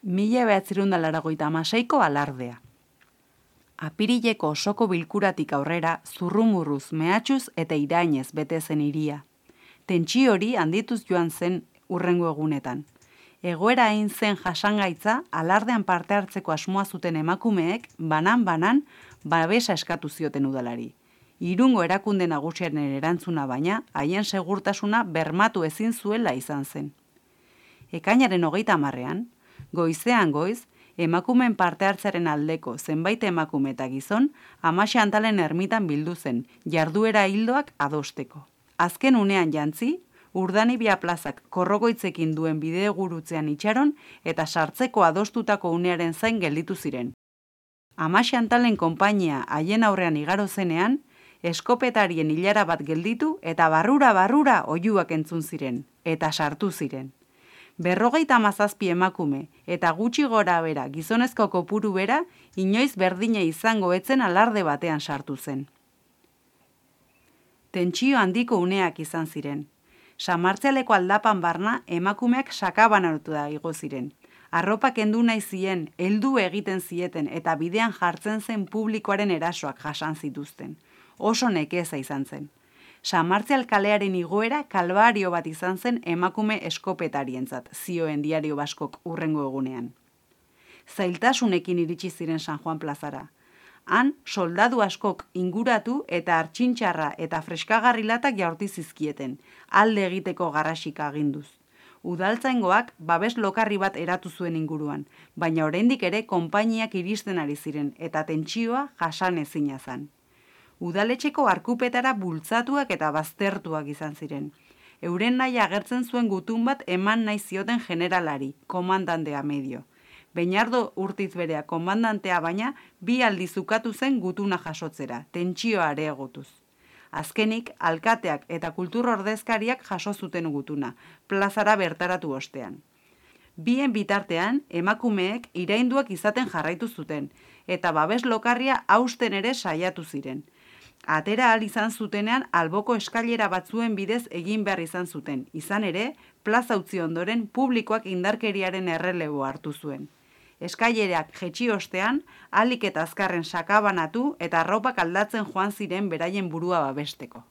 1986ko alardea. Apirileko osoko bilkuratik aurrera zurrumurruz, mehatxuz eta irainez bete zen hiria. Tentsio hori handituz joan zen hurrengo egunetan. Egoera hain zen jasangaitza, alardean parte hartzeko asmoa zuten emakumeek banan-banan babesa eskatu zioten udalari. Irungo erakunde nagusiaren erantzuna baina, haien segurtasuna bermatu ezin zuela izan zen. Ekainaren 30ean, goizean goiz, emakumeen parte hartzaren aldeko zenbait emakume eta gizon, Amaxantalen ermitan bildu zen, jarduera hildoak adosteko. Azken unean jantzi, Urdanibia plazak korrogoitzekin duen bidegurutzean itxaron eta sartzeko adostutako unearen zain gelditu ziren. Amaxantalen konpainia haien aurrean igaro zenean, eskopetarien ilara bat gelditu eta barrura oihuak entzun ziren, eta sartu ziren. 57 emakume eta gutxi gora bera gizonezko kopuru bera inoiz berdina izango etzen alarde batean sartu zen. Tentsio handiko uneak izan ziren. Samartzialeko aldapan barna emakumeak sakabanatu da igo ziren. Arropa kendu nahi zien, heldu egiten zieten eta bidean jartzen zen publikoaren erasoak jasan zituzten. Oso nekeza izan zen. Samartzial kalearen igoera kalbario bat izan zen emakume eskopetarientzat, zioen Diario Baskok hurrengo egunean. Zailtasunekin iritsi ziren San Juan plazara. Han, soldadu askok inguratu eta artxintxarra eta freskagarrilatak jaurti zizkieten, alde egiteko garrasika aginduz. Udaltzaingoak babes lokarri bat eratu zuen inguruan, baina oraindik ere konpainiak iristen ari ziren eta tentsioa jasan ezina zen. Udaletxeko arkupetara bultzatuak eta baztertuak izan ziren. Euren nahi agertzen zuen gutun bat eman nahi zioten generalari, komandantea medio. Beinardo Urtiz berea komandantea baina 2 aldiz ukatu zen gutuna jasotzera, tentsioa areagotuz. Azkenik, alkateak eta kultur ordezkariak jaso zuten gutuna, plazara bertaratu ostean. Bien bitartean, emakumeek irainduak izaten jarraitu zuten, eta babes lokarria hausten ere saiatu ziren. Atera ahal izan zutenean alboko eskailera batzuen bidez egin behar izan zuten, izan ere, plaza utzi ondoren publikoak indarkeriaren errelebo hartu zuen. Eskailerak jetxi ostean, ahalik eta azkarren sakabanatu eta arropak aldatzen joan ziren beraien burua babesteko.